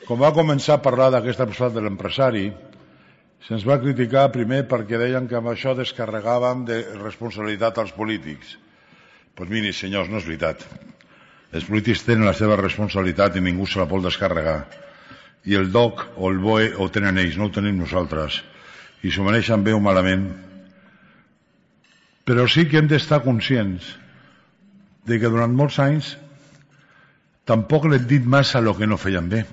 Quan va començar a parlar d'aquesta possibilitat de l'empresari, se'ns va criticar primer perquè deien que amb això descarregàvem de responsabilitat als polítics. Doncs miri, senyors, no és veritat. Els polítics tenen la seva responsabilitat i ningú se la pot descarregar. I el DOC o el BOE ho tenen ells, no ho tenim nosaltres. I s'ho mereixen bé o malament. Però sí que hem d'estar conscients de que durant molts anys tampoc l'hem dit massa el que no feien bé.